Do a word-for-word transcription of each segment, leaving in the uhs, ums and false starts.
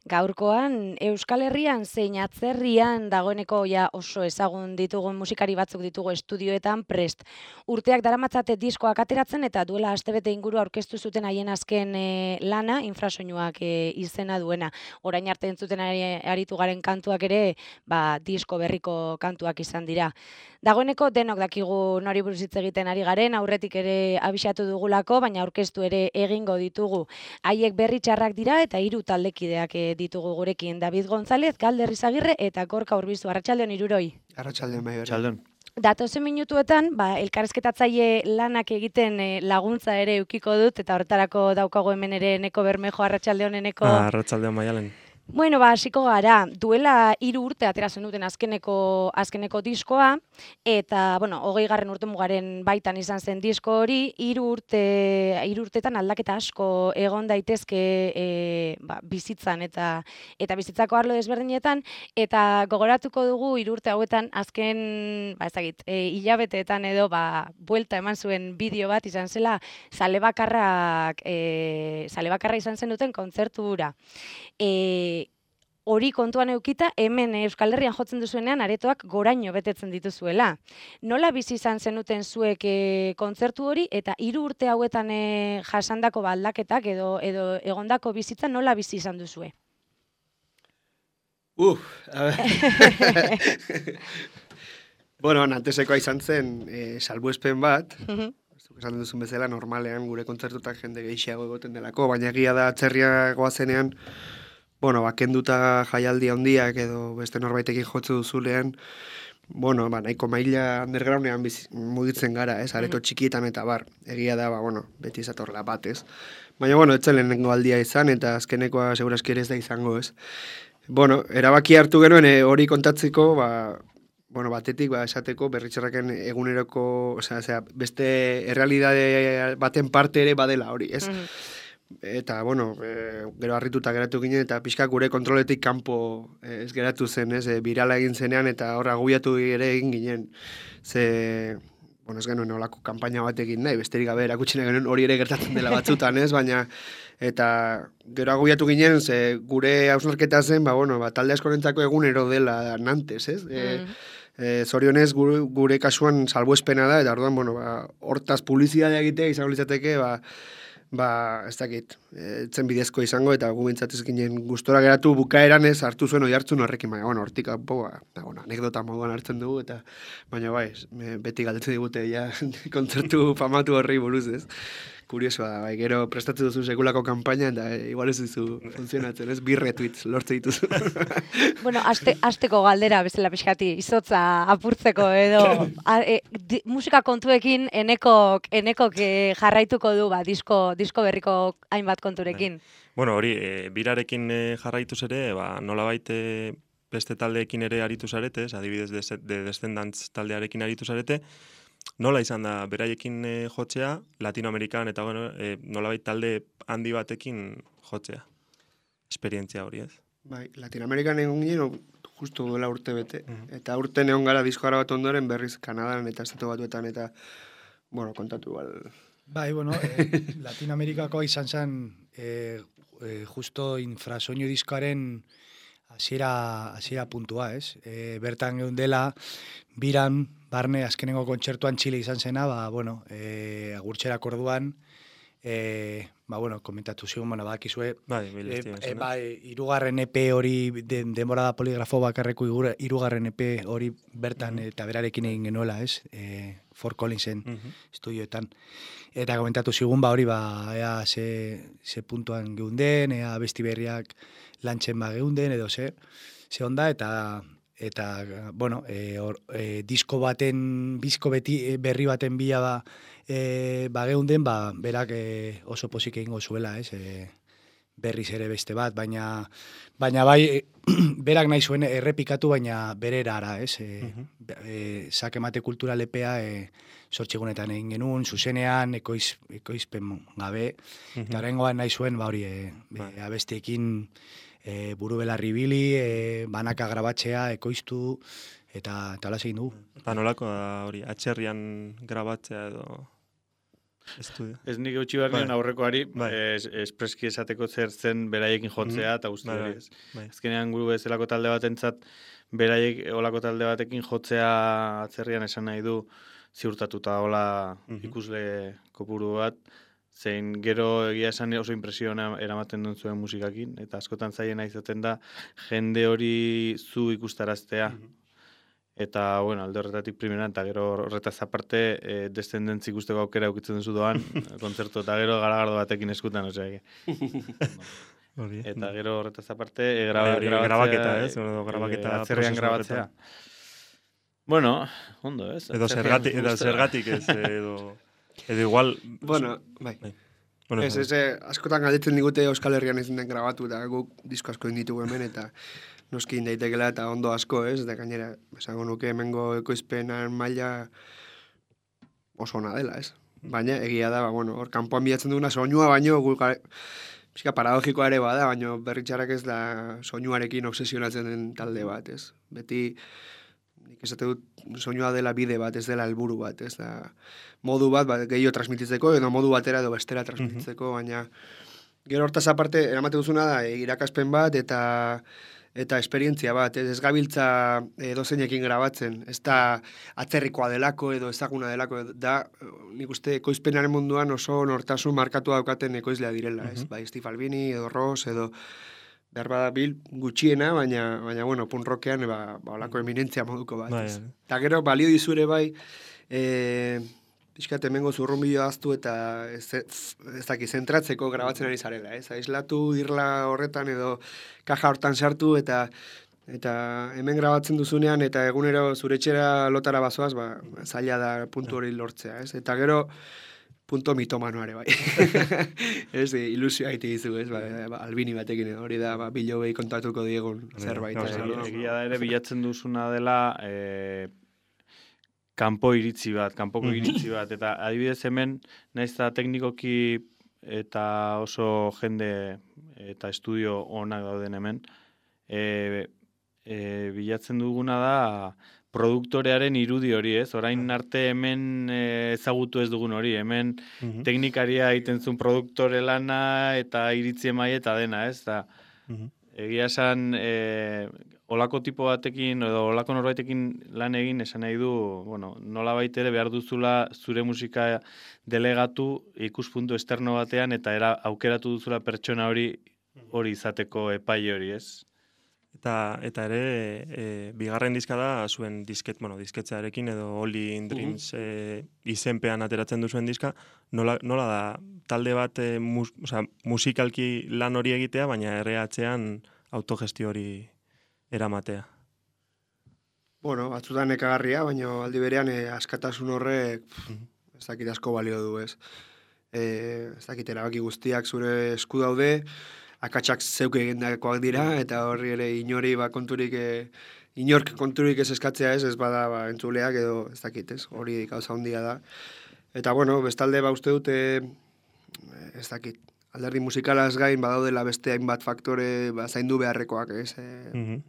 Gaurkoan Euskal Herrian zein atzerrian dagoeneko ja oso ezagun ditugun musikari batzuk ditugu estudioetan prest. Urteak daramatzate diskoak ateratzen eta duela astebete inguru aurkeztu zuten haien azken e, lana, infrasoinuak e, izena duena. Orain arte entzuten ari, aritu garen kantuak ere, ba, disko berriko kantuak izan dira. Dagoeneko denok dakigu nori buruz hitz egiten ari garen, aurretik ere abisatu dugulako, baina aurkeztu ere egingo ditugu. Haiek berri txarrak dira eta hiru taldekideak e, ditugu gurekin. David González, Galder Izagirre eta Gorka Urbizu. Arratsaldeon hiruroi. Arratsaldeon bai. Arratsaldeon. Datozen minutuetan, ba, elkarrizketatzaile lanak egiten e, laguntza ere eukiko dut, eta horretarako daukago hemen ere Eneko Bermejo. Arratsaldeon Eneko. Ah, arratsaldeon Maialen. Bueno, ba, hasiko gara, duela hiru urte atera zenuten azkeneko azkeneko diskoa, eta, bueno, hogei garren urte mugaren baitan izan zen disko hori, hiru urte, hiru urtetan aldaketa asko egon daitezke e, ba, bizitzan eta eta bizitzako arlo desberdinetan, eta gogoratuko dugu hiru urte hauetan azken, ba, ezagit, e, hilabeteetan edo, ba, buelta eman zuen bideo bat izan zela, zale bakarrak, e, zale bakarra izan zen duten kontzertu hura. E, hori kontuan eukita, hemen Euskal Herrian jotzen duzuenean aretoak goraino betetzen dituzuela. Nola bizi izan zenuten zuek e, kontzertu hori, eta hiru urte hauetan e, jasandako aldaketak edo edo egondako bizitza nola bizi izan duzue? Uf, a ver. Bueno, antesekoa izan zen e, salbuespen bat, esan duzun bezala, normalean gure kontzertutak jende gehiago egoten delako, baina egia da atzerria goazenean, bueno, bakenduta jaialdi handiak edo beste norbaitekin jotzu duzulean, bueno, ba, nahiko maila undergroundean biz, mugitzen gara, ez, areto txikietan eta bar, egia da, ba, bueno, beti izatorla bat, ez. Baina, bueno, etzen lehenengo aldia izan, eta azkenekoa segurazki ere ez da izango, ez. Bueno, erabaki hartu genuen e, hori kontatzeko, ba, bueno, batetik, ba, esateko, berritxarraken eguneroko, osea, osea, beste errealidade baten parte ere badela hori, ez. Mm. Eta, bueno, e, gero harrituta geratu ginen, eta pixka gure kontroletik kanpo e, ez geratu zen, ez, e, birala egin zenean, eta horra aguiatu ere egin ginen. Ze, bueno, ez genuen olako kanpaina bat egin nahi, besterik gabe erakutsi genuen hori ere gertatzen dela batzutan, ez, baina, eta gero aguiatu ginen, ze gure hausnarketa zen, ba, bueno, ba, talde askorentzako egunero dela nantes, ez, e, E, zorionez gure, gure kasuan salbuespena da, eta orduan, bueno, ba, hortaz publizitatea egitea izango litzateke, ba, ba, ez dakit, etzen bidezko izango, eta gu bintzatez ginen gustora geratu bukaeran ez hartu zuen oi hartzun horrekin, baina, bueno, hortik kanpo, ba, bueno, anekdota moduan hartzen dugu, eta, baina, bai, beti galdetzen digute, ja, kontzertu famatu horri buruz, ez? Kuriosoa da, bai, gero prestatzen duzu sekulako kanpaina, eta e, igual ez duzu funtzionatzen, ez? Bi retweets lortze dituzu. Bueno, aste, asteko galdera bezala pixkati, izotza apurtzeko edo, a, e, di, musika kontuekin enekok, enekok e, jarraituko du, ba, disko, disko berriko hainbat konturekin. Bueno, hori, e, birarekin e, jarraituz ere, ba, nolabait e, beste taldeekin ere aritu zarete, adibidez de, de Descendants taldearekin aritu zarete, nola izan da beraiekin e, jotzea, Latinoamerikan eta bueno, e, nolabait talde handi batekin jotzea, esperientzia hori, ez? Bai, Latinoamerikan egon ginen, justu duela urte bete, uh -huh. eta urte egon gara diskoara bat ondoren berriz Kanadan eta estatu batuetan, eta, bueno, kontatu bal. Bai, bueno, eh, Latinoamerikakoa izan zen, eh, eh, justo infrasoinu diskoaren hasiera hasiera puntua, ez? E, bertan egun dela, biran, barne, azkenengo kontzertuan Txile izan zena, ba, bueno, e, agurtxerak orduan, e, ba, bueno, komentatu zigun, bueno, bakizue, bai, e, e, bai, irugarren E P hori, de, denbora da poligrafo bakarreko irugarren E P hori bertan, uh-huh. eta berarekin egin genuela, ez? E, Fort Collinsen uh-huh. estudioetan. Eta komentatu zigun, ba, hori, ba, ea, ze, ze puntuan geunden, ea, besti berriak lantxen ba geunden, edo ze, ze onda, eta, eta bueno, e, or, e, disko baten, bizko beti, berri baten bila ba, e, ba geunden, ba, berak e, oso posik egingo zuela, ez, e, berriz ere beste bat, baina, baina bai, e, berak nahi zuen errepikatu, baina bere erara, ez, e, uh-huh. e, sakemate kultura lepea, e, sortxegunetan egin genuen, zuzenean, ekoiz, ekoizpen gabe, uh-huh. eta horrengoan nahi zuen, ba hori, e, e, abesteekin, E, buru belarri bili, e, banaka grabatzea, ekoiztu, eta, eta hola egin dugu. Eta nolako da hori, atxerrian grabatzea edo? Estudio. Ez nik eutxi behar nion Bai. aurrekoari, Bai. es, espreski esateko zer zen beraiekin jotzea, eta uste Bai, hori bai. ez. Bai. Azkenean guru bezalako talde batentzat, beraiek olako talde batekin jotzea atzerrian esan nahi du ziurtatuta hola Mhm. ikusle kopuru bat, zein gero egia esan oso impresiona eramaten duen zuen musikakin, eta askotan zaiena izaten da jende hori zu ikustaraztea. Eta, bueno, alde horretatik primeran, eta gero horretaz aparte, e, descendentzi ikusteko aukera aukitzen duzu doan, kontzertu eta gero garagardo batekin eskutan, osea. Hori. Eta gero horretaz aparte, e, graba, Bai, hori grabatzea, grabaketa, ez? e, Edo grabaketa e, atzerrian prozesu grabatzea. horretan. Bueno, ondo, ez? Edo Atzerrian zergatik, edo gustora. zergatik ez, edo... Edo igual... Bueno, bai. Bai. Bueno, Ez, ez, eh, askotan galdetzen digute Euskal Herrian ez den grabatu, eta guk disko asko inditugu hemen, eta noski indaitekela eta ondo asko, ez? Eta gainera, esango nuke hemengo ekoizpenan maila oso ona dela, ez? Baina egia da, ba, bueno, hor kanpoan bilatzen duguna soinua baino, guk pixka paradogikoa ere bada, baina berritxarrak ez da soinuarekin obsesionatzen den talde bat, ez? Beti, nik esate dut, soinua dela bide bat, ez dela helburu bat, ez da modu bat, ba, gehiago transmititzeko, edo modu batera edo bestera transmititzeko, baina gero hortaz aparte, eramate duzuna da, irakaspen bat, eta eta esperientzia bat, ez, ez gabiltza edozeinekin grabatzen, ez da atzerrikoa delako edo ezaguna delako, da, nik uste, ekoizpenaren munduan oso nortasun markatua daukaten ekoizlea direla, ez, bai, Steve Albini, edo Ross, edo behar bada bil gutxiena, baina, baina bueno, punk rockean, ba, ba, olako eminentzia moduko bat, Bai, ez. bai. Eta gero, balio dizure bai, e, pixkat hemengo zurrunbilo aztu eta ez, ez daki, zentratzeko grabatzen ari zarela, ez? Aislatu irla horretan edo kaja hortan sartu eta eta hemen grabatzen duzunean eta egunero zure etxera lotara bazoaz, ba, zaila da puntu hori lortzea, ez? Eta gero, punto mitomanoare bai. Ez, ilusioa egite dizu, ez? Ba, ba, Albini batekin, hori da, ba, bilobei kontatuko diegun zerbait. Gauza eh, hori, no? Egia da ere bilatzen duzuna dela e, kanpo iritzi bat, kanpoko iritzi bat, eta adibidez hemen, naiz eta teknikoki eta oso jende eta estudio onak dauden hemen, e, e, bilatzen duguna da produktorearen irudi hori, ez? Orain arte hemen e, ezagutu ez dugun hori, hemen Mhm. teknikaria egiten zuen produktore lana eta iritzi emaile eta dena, ez? Da, Mhm. egia esan, e, olako tipo batekin, edo olako norbaitekin lan egin esan nahi du, bueno, nola baitere behar duzula zure musika delegatu ikuspuntu esterno batean, eta era aukeratu duzula pertsona hori hori izateko epaile hori, ez? Eta, eta ere, e, bigarren diska da, zuen disket, bueno, disketzearekin edo All in Dreams e, izenpean ateratzen duzuen diska, nola, nola da, talde bat e, mus, osea, musikalki lan hori egitea, baina erreatzean autogestio hori eramatea. Bueno, batzutan nekagarria, baina aldi berean eh, askatasun horrek pff, ez dakit asko balio du, ez. Eh, ez dakit erabaki guztiak zure esku daude, akatsak zeuke egindakoak dira, eta horri ere inori ba konturik, e, inork konturik ez eskatzea ez, ez bada ba, entzuleak edo ez dakit, ez, hori gauza handia da. Eta bueno, bestalde ba uste dute, ez dakit, alderdi musikalaz gain badaudela beste hainbat faktore ba, zaindu beharrekoak, ez, e, Mhm.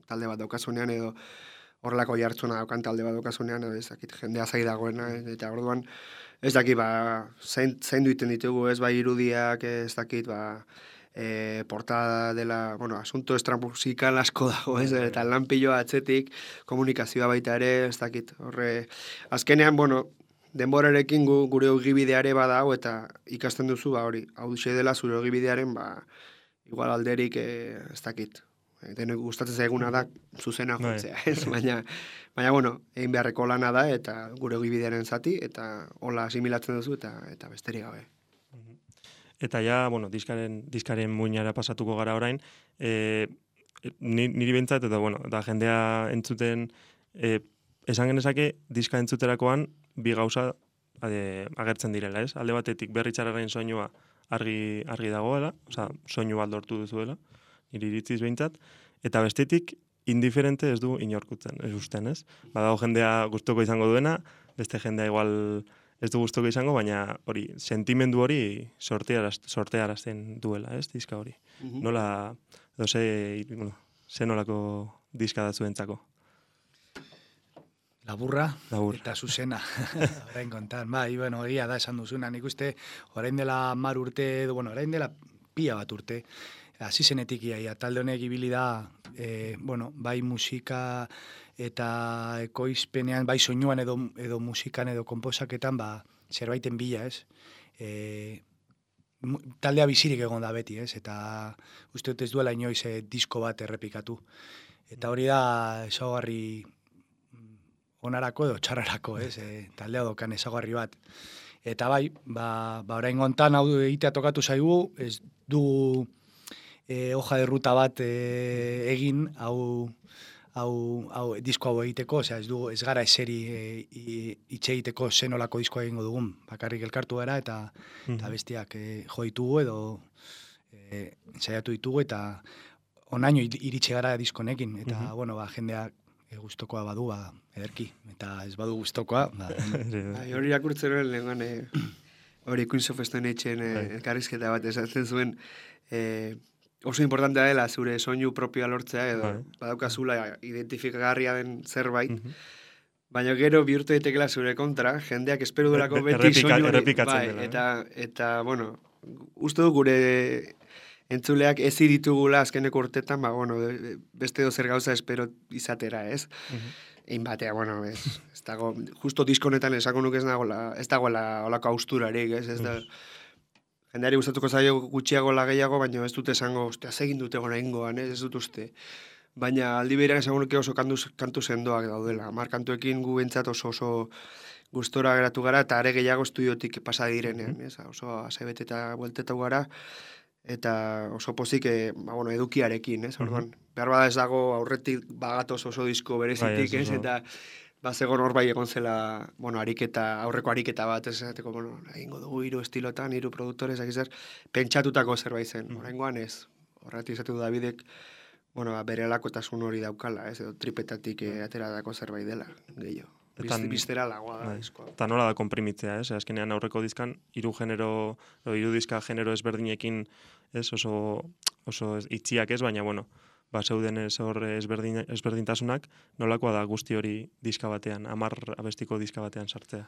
talde bat daukasunean edo horrelako jartzuna daukan talde bat daukasunean, edo ez dakit, jendea zai dagoena, eta orduan, ez dakit, ba, zain, zaindu iten ditugu, ez, bai irudiak, ez dakit, ba, e, portada dela, bueno, asunto estramusikal asko dago, ez, eta lanpiloa atzetik, komunikazioa baita ere, ez dakit, horre, azkenean, bueno, denborarekin gu, gure ogibideare bada hau, eta ikasten duzu, ba, hori, hau duxe dela zure ogibidearen, ba, igual alderik, e, ez dakit, e, denok gustatzen zaiguna da, zuzena Bai. jotzea, ez, baina, baina, bueno, egin beharreko lana da, eta gure ogibidearen zati, eta hola asimilatzen duzu, eta, eta besterik gabe. Eta ja, bueno, diskaren, diskaren muinara pasatuko gara orain, e, ni, niri bentsat, eta bueno, eta jendea entzuten, e, esan genezake, diska entzuterakoan, bi gauza ade, agertzen direla, ez? Alde batetik berritxarraren soinua argi, argi dagoela, osea, soinu bat lortu duzuela, niri iritziz behintzat, eta bestetik, indiferente ez du inorkutzen, ez usten, ez? Badago jendea gustuko izango duena, beste jendea igual ez du gustuko izango, baina hori, sentimendu hori sortearaz, sortearazten duela, ez, diska hori. Nola, edo ze, bueno, ze nolako diska da zuentzako? Laburra Labur. eta zuzena, orain kontan. Bai, bueno, egia da esan duzuna, nik uste, orain dela mar urte, edo, bueno, orain dela pila bat urte, hasi zenetik iaia, talde honek ibili da, e, bueno, bai musika eta ekoizpenean, bai soinuan edo, edo musikan edo konposaketan, ba, zerbaiten bila, ez? E, taldea bizirik egon da beti, ez? Eta uste dut ez duela inoiz e, disko bat errepikatu. Eta hori da ezaugarri onarako edo txarrarako, ez? E, taldea dokan ezaugarri bat. Eta bai, ba, ba orain gontan hau egitea tokatu zaigu, ez du e, hoja de ruta bat e, egin, hau, hau, hau disko hau egiteko, osea, ez du ez gara eseri e, hitz egiteko zenolako diskoa egingo dugun, bakarrik elkartu gara eta, mm. eta bestiak e, jo ditugu edo e, ensaiatu ditugu eta onaino iritsi gara diskonekin, eta, mm-hmm. bueno, ba, jendeak e, gustokoa badu, ba, ederki, eta ez badu gustokoa, ba, hori irakurtzen hori lehengan, hori Queens of Stone Ageen elkarrizketa bat esatzen zuen, e, oso importantea dela zure soinu propioa lortzea, edo badaukazula identifikagarria den zerbait, mm-hmm. baina gero bihurtu daitekela zure kontra, jendeak espero durako beti soinu hori, bai, eta, eta, bueno, uste du gure entzuleak ez ditugula azkeneko urtetan, ba, bueno, beste dozer gauza espero izatera, ez? Mm-hmm. Egin batea, bueno, ez, ez dago, justo diskonetan esako nuke ez dagoela, ez dagoela olako austurarik, ez? Ez da, jendeari gustatuko zaio gutxiago la gehiago, baina ez dute esango, ostia, segin dute gona ingoan, ez, ez dut uste. Baina aldi behirak esango nuke oso kantu, kantu sendoak daudela. Mar kantuekin gu bentsat oso oso gustora geratu gara, eta are gehiago estudiotik pasa direnean, ez? Oso asebet eta bueltetau gara, eta oso pozik, e, ba, bueno, edukiarekin, ez? Orduan, mm-hmm. behar bada ez dago aurretik bagatoz oso disko berezitik, ez? Eta ba, zegoen hor bai egon zela, bueno, ariketa, aurreko ariketa bat, ez? Zateko, bueno, egingo dugu hiru estilotan, hiru produktores, akizer, pentsatutako zerbait zen. Mm-hmm. Horrengoan ez, horretik izatu Davidek, bueno, ba, bere alakotasun hori daukala, ez? Edo tripetatik e, ateratako zerbait dela, gehiago. Biztera lagoa da diskoa. Eta nola da komprimitzea, ez? Azkenean aurreko dizkan, hiru genero, hiru diska genero ezberdinekin, ez? Oso, oso itxiak ez, baina, bueno, ba, zeuden ez hor ezberdin, ezberdintasunak, nolakoa da guzti hori diska batean, hamar abestiko diska batean sartzea.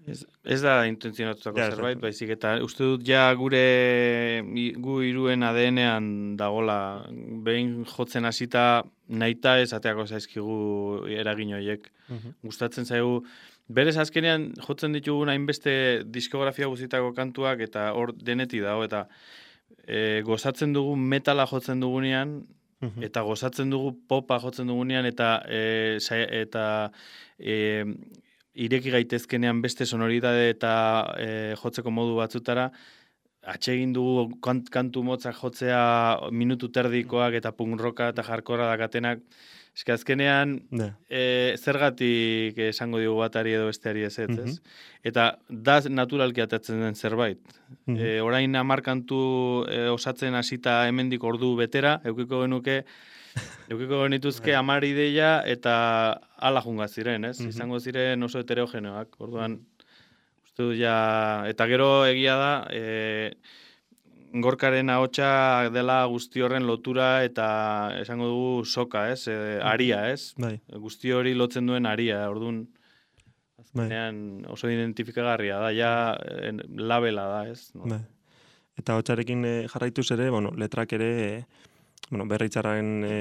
Ez, ez da intentzionatutako ja, zerbait, baizik, eta uste dut ja gure gu iruen A D N-ean dagola, behin jotzen hasita nahita ez ateako zaizkigu eragin horiek. Uh-huh. Gustatzen zaigu, berez azkenean jotzen ditugun hainbeste diskografia guztietako kantuak eta hor denetik dago, eta e, gozatzen dugu metala jotzen dugunean, uh-huh. eta gozatzen dugu popa jotzen dugunean, eta e, eta e, ireki gaitezkenean beste sonoridade eta e, jotzeko modu batzutara, atsegin dugu kant, kantu motzak jotzea minutu terdikoak eta punk rocka eta hardcora dakatenak. Eske azkenean, e, zergatik esango digu batari edo besteari ez ez, mm-hmm. ez? Eta da naturalki atatzen den zerbait. Mm-hmm. E, orain hamar kantu e, osatzen hasita hemendik ordu betera, eukiko genuke, eukiko genituzke hamar ideia eta ala junga ziren, ez? Mm-hmm. Izango ziren oso heterogeneoak. Orduan, uste du ja, eta gero egia da, e, Gorkaren ahotsa dela guzti horren lotura eta esango dugu soka, ez? E, aria, ez? Bai. Guzti hori lotzen duen aria, orduan azkenean oso identifikagarria da, ja en, labela da, ez? No? Bai. Eta ahotsarekin e, jarraituz ere, bueno, letrak ere e, bueno, berritzarren e,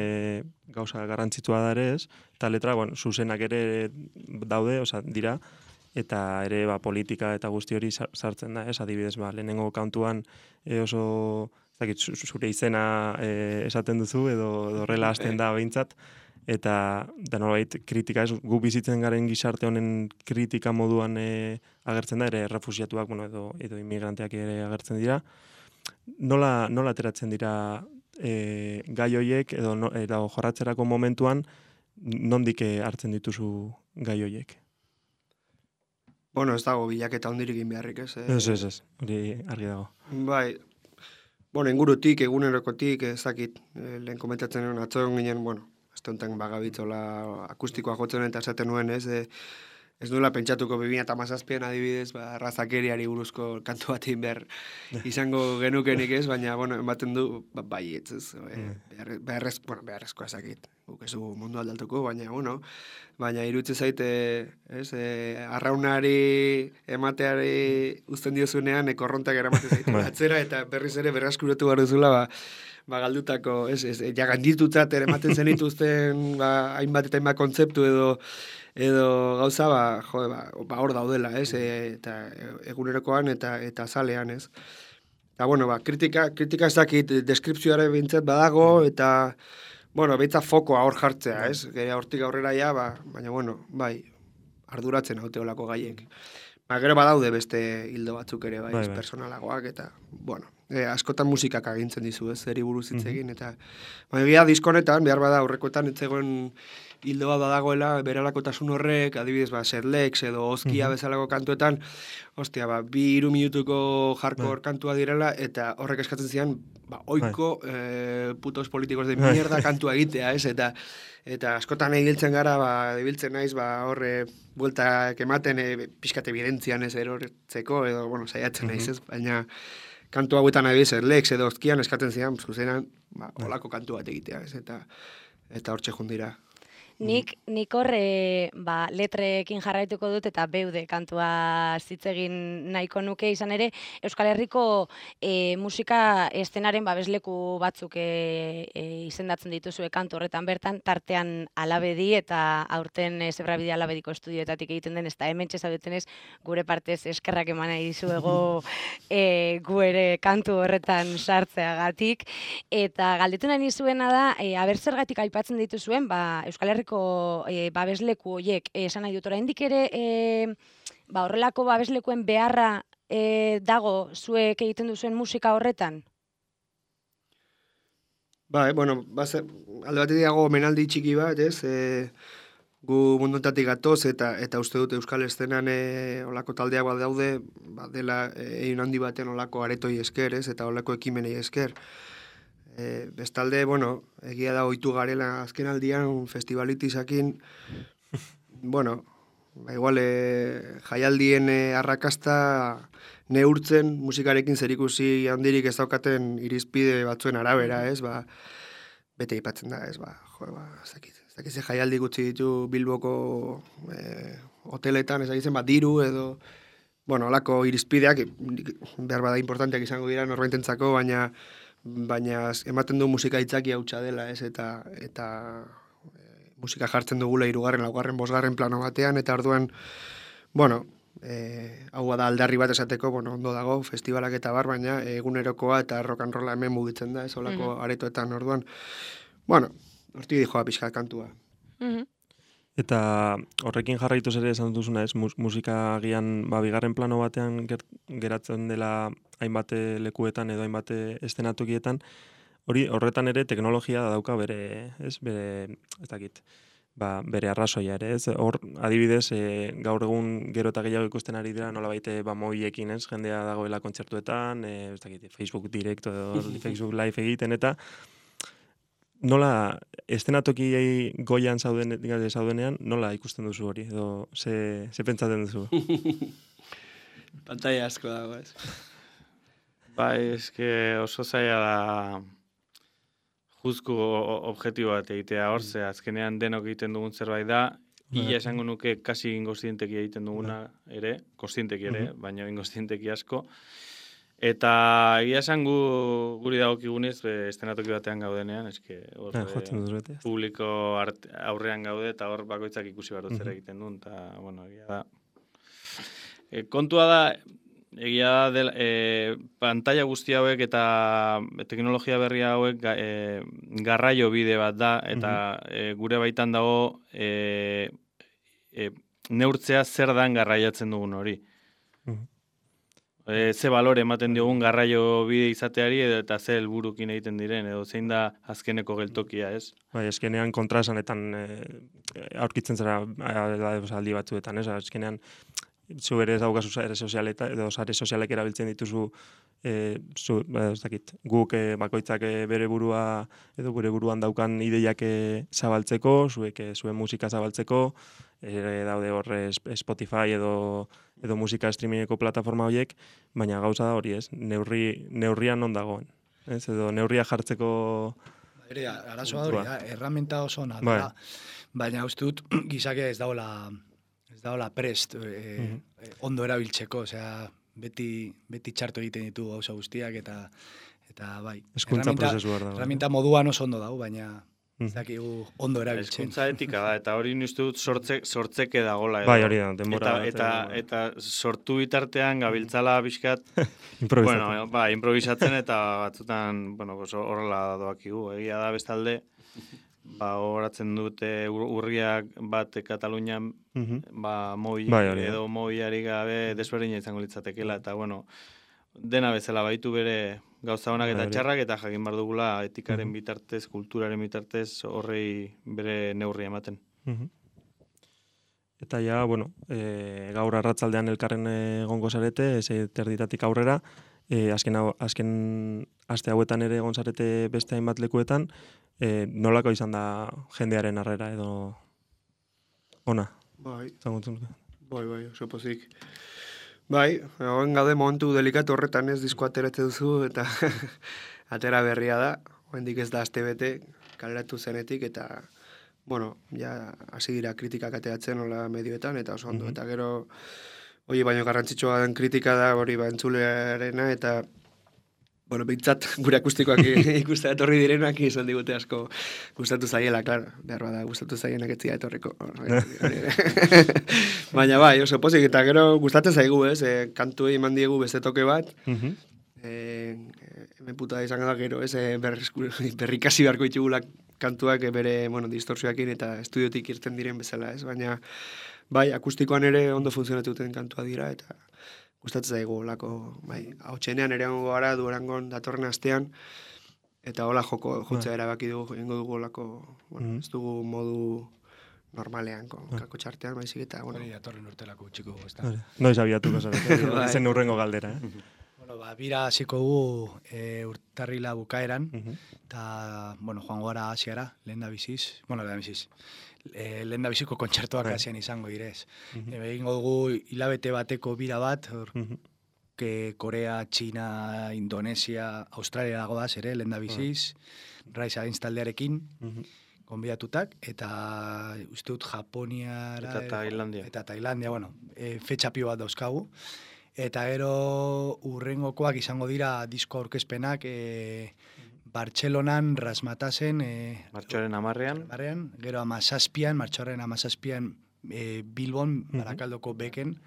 gauza garrantzitsua da ere, ez? Eta letra, bueno, zuzenak ere daude, osea, dira, eta ere ba, politika eta guzti hori sartzen da, ez? Adibidez, ba, lehenengo kantuan e, oso, ez dakit, zure izena e, esaten duzu, edo horrela hasten da behintzat, eta da nolabait kritika, ez? Gu bizitzen garen gizarte honen kritika moduan e, agertzen da, ere refusiatuak, bueno, edo, edo inmigranteak ere agertzen dira. Nola, nola ateratzen dira e, gai hoiek, edo, no, edo jorratzerako momentuan, nondik hartzen dituzu gai hoiek? Bueno, ez dago bilaketa hondirik egin beharrik, ez? Eh? Ez, ez, ez, hori argi dago. Bai, bueno, ingurutik, egunerokotik, ezakit, eh, lehen komentatzen nuen, atzo ginen, bueno, ez tonten bagabitzola akustikoa jotzen eta esaten nuen, ez? Eh, ez duela pentsatuko bi mila hamazazpian adibidez, ba, razakeriari buruzko kantu bat egin behar izango genukenik, ez? Baina, bueno, ematen du, ba, bai, ez, ez, eh, behar, beharrez, bueno, beharrezkoa ezakit. guk ez dugu mundu aldatuko, baina, bueno, baina irutze zaite, ez, e, arraunari emateari uzten diozunean, ekorrontak eramaten zaitu atzera, eta berriz ere berraskuratu behar duzula, ba, ba galdutako, ez, ez, ja ganditutzat ere ematen zenituzten, ba, hainbat eta hainbat kontzeptu edo, edo gauza, ba, jode, ba, ba hor daudela, ez, e, eta egunerokoan eta eta zalean, ez. Eta, bueno, ba, kritika, kritika ez dakit, deskripzioare bintzat badago, eta, bueno, beitza fokoa hor jartzea, ez? Gera hortik aurrera ja, ba, baina, bueno, bai, arduratzen haute olako gaiek. Ba, gero badaude beste hildo batzuk ere, bai, bai, bai. Personalagoak, eta, bueno, e, askotan musikak agintzen dizu, ez, zeri buruz hitz egin, eta, baina, gira, diskonetan, behar bada, aurrekoetan, etzegoen hildo bat badagoela, beralakotasun horrek, adibidez, ba, Serlex edo Ozkia uh-huh. bezalako kantuetan, ostia, ba, bi hiru minutuko hardcore bai. Kantua direla, eta horrek eskatzen zian, ba, oiko bai. eh, putos politikos de mierda kantua egitea, ez, eta eta askotan egiltzen gara, ba, dibiltzen naiz, ba, horre, bueltak ematen, e, pixkat evidentzian ez erortzeko, edo, bueno, saiatzen uh-huh. naiz, ez, baina kantu hauetan nahi Serlex edo Ozkian eskatzen zian, zuzenan, ba, olako kantu bat egitea, ez, eta eta hortxe jundira. Nik, nik horre ba, letrekin jarraituko dut eta beude kantua zitzegin nahiko nuke izan ere Euskal Herriko e, musika estenaren babesleku batzuk e, e, izendatzen dituzue kantu horretan bertan, tartean Alabedi eta aurten e, Zebrabide Alabediko estudioetatik egiten den, ez da hemen txezaudetenez gure partez eskerrak eman nahi dizuego e, gu ere kantu horretan sartzeagatik. Eta galdetu nahi nizuena da, e, aber zergatik aipatzen dituzuen, ba, Euskal Herriko E, babesleku horiek, e, esan nahi dut, oraindik ere e, ba, horrelako babeslekuen beharra e, dago zuek egiten duzuen musika horretan? Ba, e, bueno, base, alde batetik dago omenaldi txiki bat, ez? E, gu munduntatik gatoz eta eta uste dut Euskal Estenan e, olako taldeak bat daude, ba, dela egin handi baten olako aretoi esker, ez? Eta olako ekimenei esker. E, bestalde, bueno, egia da ohitu garela azken aldian festivalitizakin, bueno, ba, igual e, jaialdien e, arrakasta neurtzen musikarekin zerikusi handirik ez daukaten irizpide batzuen arabera, ez, ba, bete ipatzen da, ez, ba, jo, ba, ez dakit, ez dakit ze jaialdi gutxi ditu Bilboko e, hoteletan, ez dakitzen, ba, diru edo, bueno, olako irizpideak, behar bada importanteak izango dira norbaitentzako, baina baina ematen du musika itzaki hautsa dela, ez, eta eta e, musika jartzen dugula hirugarren, laugarren, bosgarren plano batean, eta orduan, bueno, e, hau da aldarri bat esateko, bueno, ondo dago, festivalak eta bar, baina egunerokoa eta rock and rolla hemen mugitzen da, ez, olako mm-hmm. aretoetan, orduan, bueno, hortik dijoa pixka kantua. Mm-hmm. Eta horrekin jarraituz ere esan duzuna, ez, mus, musika agian ba, bigarren plano batean ger, geratzen dela hainbat lekuetan edo hainbat estenatokietan, hori horretan ere teknologia dauka bere, ez, bere, ez dakit, ba, bere arrazoia ere, ez, hor adibidez, e, gaur egun gero eta gehiago ikusten ari dira nolabait ba moiekin, ez, jendea dagoela kontzertuetan, e, ez dakit, Facebook Direct edo Facebook Live egiten, eta nola estenatokiei goian zauden, zaudenean, nola ikusten duzu hori, edo ze, ze pentsatzen duzu? Pantalla asko dago, ez? Bai, eske oso zaila da juzku objektibo bat egitea hor, ze azkenean denok egiten dugun zerbait da, ia esango nuke kasi ingozienteki egiten duguna ere, kozienteki ere, baina ingozienteki asko. Eta egia esan gu, guri dagokigunez estenatoki batean gaudenean, eske hor e, publiko art, aurrean gaude eta hor bakoitzak ikusi barut zer egiten duen, eta, bueno, egia da. E, kontua da, egia da, del, e, pantalla guzti hauek eta teknologia berri hauek e, garraio bide bat da, eta e, gure baitan dago e, e, neurtzea zer dan garraiatzen dugun hori. E, ze balore ematen diogun garraio bide izateari eta ze helburukin egiten diren, edo zein da azkeneko geltokia, ez? Bai, azkenean kontraesanetan e, aurkitzen zara aldi batzuetan, ez? Azkenean zu ere daukazu sare sozialeta edo sare sozialek erabiltzen dituzu e, zu, ez dakit, guk e, bakoitzak e, bere burua edo gure buruan daukan ideiak e, zabaltzeko, zuek e, zuen musika zabaltzeko, ere daude hor Spotify edo edo musika streamingeko plataforma horiek, baina gauza da hori, ez? Neurri neurrian non dagoen, ez? Edo neurria jartzeko Bere, arazoa hori, da, erramenta oso ona Bai. da, baina uste dut gizakia ez daola, ez daola prest e, Mhm. e, ondo erabiltzeko, osea, beti, beti txarto egiten ditu gauza guztiak, eta, eta bai. Hezkuntza erraminta- prozesu behar dago. Erraminta moduan oso ondo dago, baina Mhm. ez dakigu ondo erabiltzen. Hezkuntza etika da, eta hori uste dut sortze, sortzeke dagola. Edo. Bai, hori da, denbora eta, bat, eta, edo- eta sortu bitartean gabiltzala pixkat, Improvisatzen. bueno, ba, improvisatzen eta batzutan, bueno, pues horrela doakigu. Egia da bestalde, ba, horatzen dute ur- urriak bat Katalunian, Mhm. ba, moi, Bai, hori da. edo moiari gabe desberdina izango litzatekeela, eta bueno, dena bezala baitu bere gauza honak eta Bai, hori. txarrak, eta jakin behar dugula etikaren Mhm. bitartez, kulturaren bitartez, horrei bere neurri ematen. Mhm. Eta ja, bueno, e, gaur arratzaldean elkarren egongo zarete, ze terditatik aurrera, e, azken, hau- azken aste hauetan ere egon zarete beste hainbat lekuetan, e, nolako izan da jendearen harrera edo ona, Bai, zangotzun. bai, bai, oso pozik. Bai, egon gaude momentu delikatu horretan ez disko ateratze duzu, eta atera berria da, oraindik ez da aste bete, kaleratu zenetik, eta, bueno, ja, hasi dira kritikak ateratzen hola medioetan, eta oso ondo, Mhm. eta gero, hori baino garrantzitsua den kritika da, hori ba, entzulearena, eta, bueno, bintzat gure akustikoak ikustea etorri direnak izan digute asko gustatu zaiela, claro, behar bada gustatu zaienak etzia etorriko. Baina bai, oso pozik, eta gero gustatzen zaigu, ez, e, kantuei eman diegu beste toke bat, Mhm. e, hemen puta izan da gero, ez, e, berrizku- berrikasi beharko ditugula kantuak e, bere, bueno, distorsioakin eta estudiotik irten diren bezala, ez, baina bai, akustikoan ere ondo funtzionatu duten kantua dira, eta gustatzen zaigu lako, bai, hau txenean ere hongo gara Durangon datorren astean, eta hola joko jotzea erabaki dugu, ingo dugu lako, bueno, Mhm. ez dugu modu normalean, kon, kako txartean, baizik eta, bueno, Hori datorren urterako txiko, ez da. Hori. Noiz abiatuko zarete, Bai. zen urrengo galdera, eh? Bueno, ba, bira hasiko dugu e, urtarrila bukaeran, Mhm. eta, bueno, joango gara Asiara, lehen da biziz, bueno, lehen da biziz, e, lehen da biziko kontzertuak Bai. Asian izango direz. Mhm. E, egingo dugu hilabete bateko bira bat, hor, Mhm. que Korea, China, Indonesia, Australia dago da ere, lehen da biziz, Rise Against taldearekin, Mhm. gonbidatutak, eta uste dut Japoniara... Eta Tailandia. Eta Tailandia, bueno, e, fetxa pio bat dauzkagu. Eta gero urrengokoak izango dira disko aurkezpenak e, Bartzelonan, Rasmatasen, e, Martxoaren amarrean, Barrean, gero amazazpian, martxoaren amazazpian e, Bilbon, Mhm. Barakaldoko beken,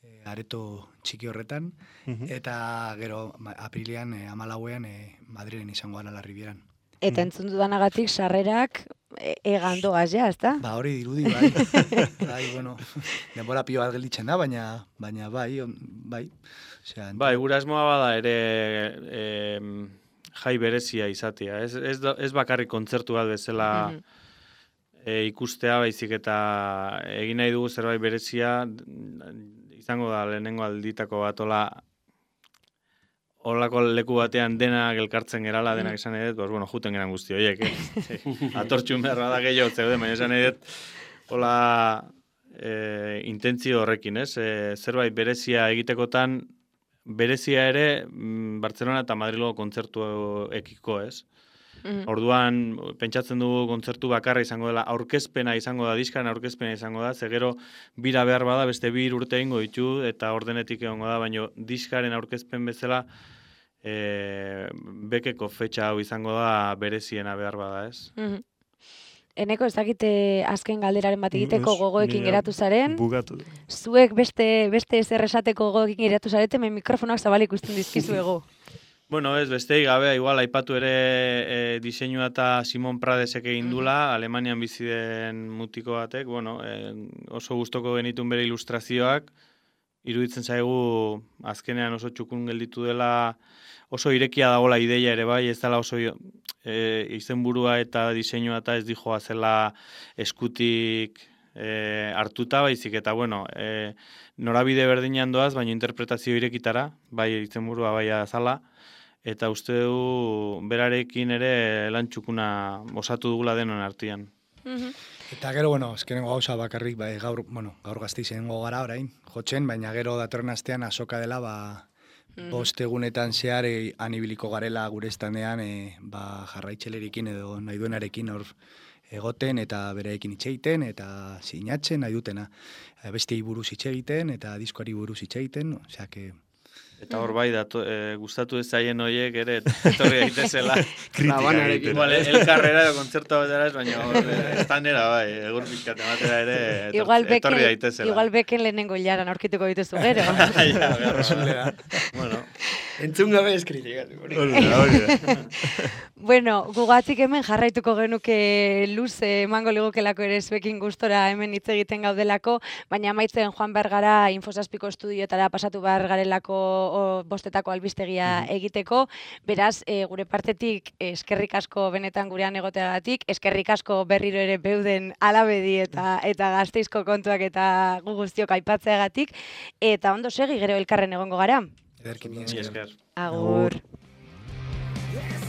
e, areto txiki horretan, Mhm. eta gero ma- aprilian, e, amalauean, e, Madrilen izango gara la Ribieran. Eta entzun dudanagatik sarrerak e, egan doaz ja, ezta? Ba, hori dirudi, bai. bai, bueno, denbora pio bat gelditzen da, baina, baina bai, on, bai. Osea, bai, gura asmoa bada ere em, jai berezia izatea. Ez, ez, da- ez bakarrik kontzertu bat bezala Mhm. e, ikustea, baizik eta egin nahi dugu zerbait berezia, izango da lehenengo alditako bat, hola, holako leku batean denak elkartzen gerala, denak esan edet, pues, bueno, juten geran guzti horiek, eh? Atortxun behar bada gehiago zeuden, baina esan edet, hola, e, intentzio horrekin, ez? E, zerbait berezia egitekotan, berezia ere, mm, Bartzelona eta Madrilgo kontzertu ekiko, ez? Mhm. Orduan, pentsatzen dugu kontzertu bakarra izango dela, aurkezpena izango da, diskaren aurkezpena izango da, ze gero bira behar bada beste bi urte egingo ditu eta ordenetik egongo da, baina diskaren aurkezpen bezala e, bekeko fetxa hau izango da bereziena behar bada, ez? Mhm. Eneko, ez dakite azken galderaren bat egiteko Ez, gogoekin nire geratu zaren, Bugatu. zuek beste beste ezer esateko gogoekin geratu zarete, hemen mikrofonoak zabalik ikusten dizkizuego. Bueno, ez, besteik gabe, igual, aipatu ere e, diseinua eta Simon Pradesek egin dula, Alemanian bizi den mutiko batek, bueno, e, oso gustoko genitun bere ilustrazioak, iruditzen zaigu azkenean oso txukun gelditu dela, oso irekia dagola ideia ere bai, ez dela oso e, izenburua eta diseinua eta ez dijoa zela eskutik e, hartuta baizik, eta bueno, e, norabide berdinean doaz, baina interpretazio irekitara, bai izenburua bai azala, eta uste du berarekin ere lan txukuna osatu dugula denon artean. Mhm. Eta gero, bueno, azkenengo gauza bakarrik, bai, gaur, bueno, gaur Gasteizen gara orain, jotzen, baina gero datorren astean azoka dela, ba, bost egunetan zehar e, anibiliko garela gure estandean e, ba, jarraitxelerekin edo nahi duenarekin hor egoten eta bereekin hitz egiten eta sinatzen nahi dutena. E, beste buruz hitz egiten eta diskoari buruz hitz egiten, osea que Eta hor bai, dato, e, gustatu ez zaien horiek ere, etorri daitezela. Labanarekin. Igual, elkarrera edo kontzertu batera ez, baina hor, estanera bai, egur pixkat ematera ere, etor, igual beken, etorri daitezela. Igual beken lehenengo hilaran aurkituko dituzu gero. Ja, berra, bueno. Entzun gabe eskritikatu. Bueno, gugatzik hemen jarraituko genuke luze emango ligukelako ere zuekin gustora hemen hitz egiten gaudelako, baina amaitzen joan behar gara Infosazpiko estudioetara pasatu behar garelako o, bostetako albistegia egiteko. Beraz, e, gure partetik eskerrik asko benetan gurean egoteagatik, eskerrik asko berriro ere beuden alabedi eta eta Gasteizko kontuak eta gu guztiok aipatzeagatik, eta ondo segi gero elkarren egongo gara. ederki mi Esker. Agur. Yes.